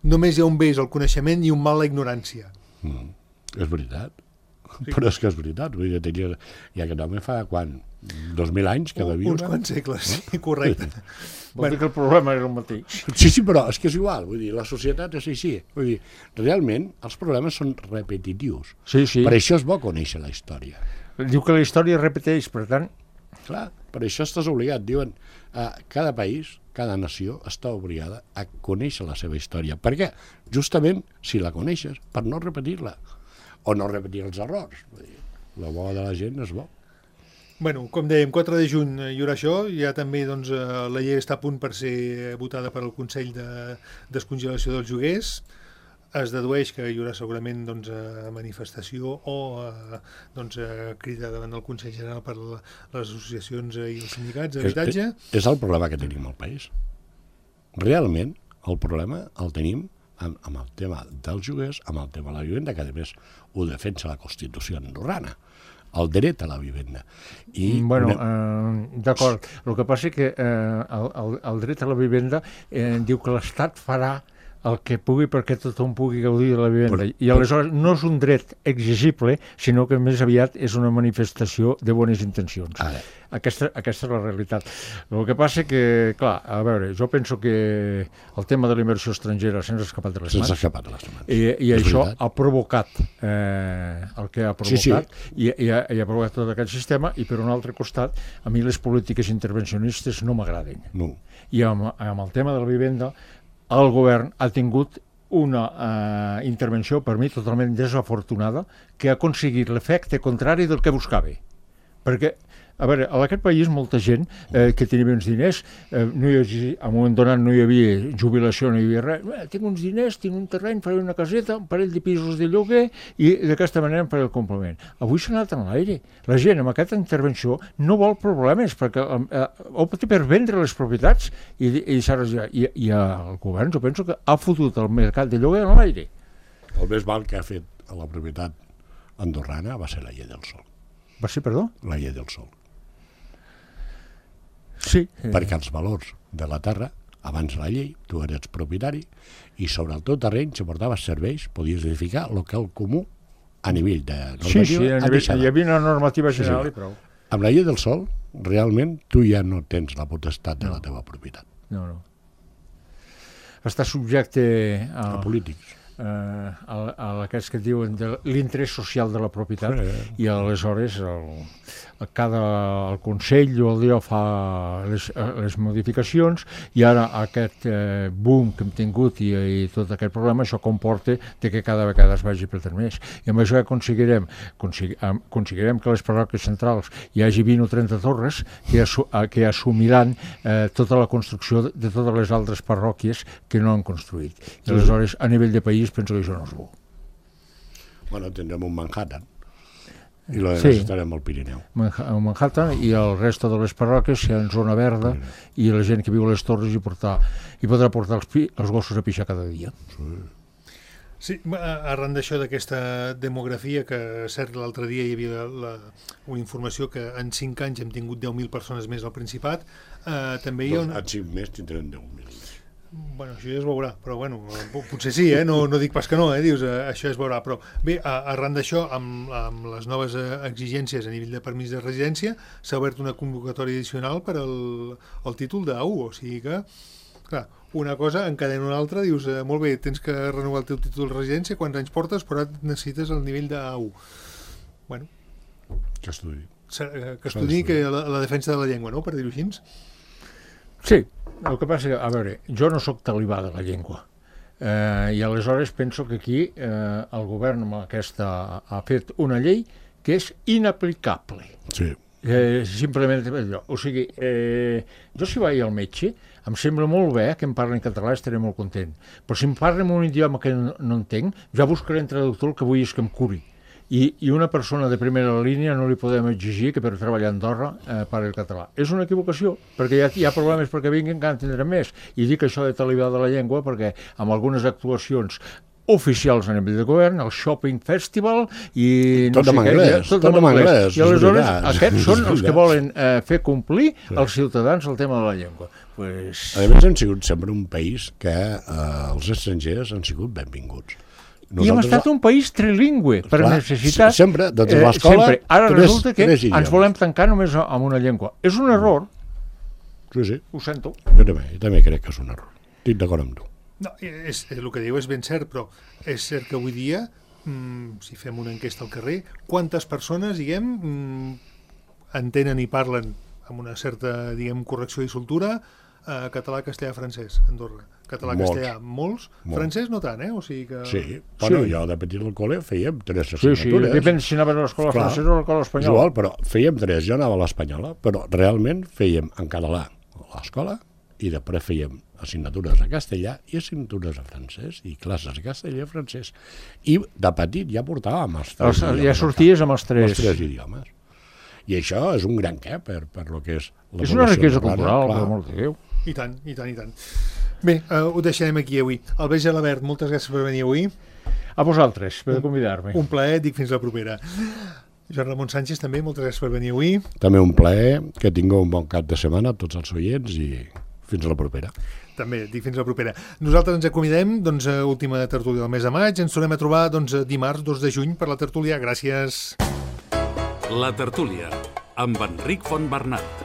només hi ha un bé és el coneixement i un mal la ignorància. És veritat. Sí. Però és que és veritat. Vull dir, ja aquest home fa, quan? 2.000 anys que devia? Uns quants segles, sí, correcte. Vol dir que el problema era el mateix. Sí, però és que és igual. Vull dir, la societat és així. Vull dir, realment, els problemes són repetitius. Sí. Per això és bo conèixer la història. Diu que la història es repeteix, per tant... Clar, per això estàs obligat. Diuen, cada país, cada nació està obligada a conèixer la seva història. Per què? Justament, si la coneixes, per no repetir-la. O no repetir els errors. Vull dir, la bo de la gent és bo. Bueno, com dèiem, 4 de juny hi haurà això, ja també doncs, la llei està a punt per ser votada per al Consell de Descongelació dels Lloguers. Es dedueix que hi haurà segurament doncs, manifestació o crida davant del Consell General per les associacions i els sindicats d'habitatge. És el problema que tenim al país. Realment, el problema el tenim amb el tema dels lloguers, amb el tema de la vivenda, que a més ho defensa la Constitució andorrana, el dret a la vivenda. D'acord. El que passa és que el dret a la vivenda diu que l'Estat farà el que pugui perquè tothom pugui gaudir de la vivenda. I aleshores no és un dret exigible, sinó que més aviat és una manifestació de bones intencions. Aquesta és la realitat. El que passa que, clar, a veure, jo penso que el tema de la inversió estrangera se'ns ha escapat de les mans. I això ha provocat el que ha provocat, i ha provocat tot aquest sistema, i per un altre costat, a mi les polítiques intervencionistes no m'agraden. No. I amb el tema de la vivenda, el govern ha tingut una intervenció, per mi, totalment desafortunada, que ha aconseguit l'efecte contrari del que buscava. Perquè, a veure, en aquest país molta gent que tenia uns diners, en un moment donat no hi havia jubilació, no hi havia res, tinc uns diners, tinc un terreny, faré una caseta, un parell de pisos de lloguer i d'aquesta manera em faré el complement. Avui s'ha anat en l'aire. La gent amb aquesta intervenció no vol problemes perquè opta per vendre les propietats i el govern, jo penso que ha fotut el mercat de lloguer en l'aire. El més mal que ha fet a la propietat andorrana va ser la llei del sòl. Va ser, perdó? La llei del sòl. Sí. Perquè els valors de la terra, abans la llei, tu eres propietari, i sobre el teu terreny, si portaves serveis, podies edificar local comú a nivell de normativa. Hi havia una normativa general i prou. Amb la llei del sòl, realment, tu ja no tens la potestat de la teva propietat. No. Està subjecte a polítics. Aquests que diuen de l'interès social de la propietat, i aleshores el Consell o el dia fa les modificacions, i ara aquest boom que hem tingut i tot aquest problema, això comporta que cada vegada es vagi perdent més. I amb això aconseguirem que les parròquies centrals hi hagi 20 o 30 torres que assumiran tota la construcció de totes les altres parròquies que no han construït. I aleshores, a nivell de país, penso que això no és bo. Bueno, tindrem un Manhattan i la necessitarem al Pirineu. Manhattan i el resto de les parròquies seran zona verda i la gent que viu a les torres hi podrà portar els gossos a pixar cada dia. Sí, arran d'això, d'aquesta demografia, que cert, l'altre dia hi havia una informació que en 5 anys hem tingut 10.000 persones més al Principat, també hi ha En 5 més tindrem 10.000. Bueno, això ja es veurà, però bueno, potser sí, no dic pas que no, dius, això es veurà, però bé, arran d'això, amb les noves exigències a nivell de permís de residència, s'ha obert una convocatòria addicional per al títol d'A1, o sigui que, clar, una cosa encadena una altra, dius, molt bé, tens que renovar el teu títol de residència, quants anys portes, però ara necessites el nivell d'A1. Bueno. Que estudi. Que estudi la defensa de la llengua, no?, per dir-ho així. Sí, el que passa que, a veure, jo no sóc talibà de la llengua, i aleshores penso que aquí el govern amb aquesta ha fet una llei que és inaplicable. Sí. Simplement allò. O sigui, jo si vaig al metge, em sembla molt bé que em parlen català, estaré molt content. Però si em parlen un idioma que no entenc, ja buscaré un traductor el que vull és que em curi. I una persona de primera línia no li podem exigir que per treballar a Andorra parli el català. És una equivocació, perquè hi ha problemes perquè vinguin que en tindrem més. I dic això de talibà de la llengua perquè amb algunes actuacions oficials a nivell de govern, el Shopping Festival i no tot sé en què, anglès, tot en anglès. I aleshores aquests són els que volen fer complir als ciutadans el tema de la llengua. Pues... A més, hem sigut sempre un país que els estrangers han sigut benvinguts. I hem estat un país trilingüe, per necessitat. Sempre, des de l'escola... Ara resulta que ens volem tancar només amb una llengua. És un error. Sí. Ho sento. Jo també crec que és un error. Estic d'acord amb tu. No, el que diu és ben cert, però és cert que avui dia, si fem una enquesta al carrer, quantes persones, diguem, entenen i parlen amb una certa, diguem, correcció i soltura català, castellà, francès, a Andorra. Català, castellà, molts. Francès no tant, O sigui que... Sí, bueno, jo de petit al col·le fèiem 3 assignatures. Sí, depèn si anaves a l'escola francesa o a l'escola espanyola. Igual, però fèiem 3, jo anava a l'espanyola, però realment fèiem en català a l'escola i després fèiem assignatures a castellà i assignatures a francès i classes a castellà i francès. I de petit ja portàvem els 3 idiomes. Ja sorties amb els 3. Els 3 idiomes. I això és un gran què per lo que és la és una riquesa cultural, per molt que Déu. I tant. Bé, ho deixarem aquí avui. Albert Gelabert, moltes gràcies per venir avui. A vosaltres, per convidar-me. Un plaer, dic fins la propera. Joan Ramon Sánchez, també, moltes gràcies per venir avui. També un plaer, que tingueu un bon cap de setmana, tots els oients, i fins la propera. També, dic fins la propera. Nosaltres ens acomidem, doncs, a última tertúlia del mes de maig. Ens tornem a trobar, doncs, dimarts 2 de juny per la tertúlia. Gràcies. La tertúlia, amb Enric Fontbernat.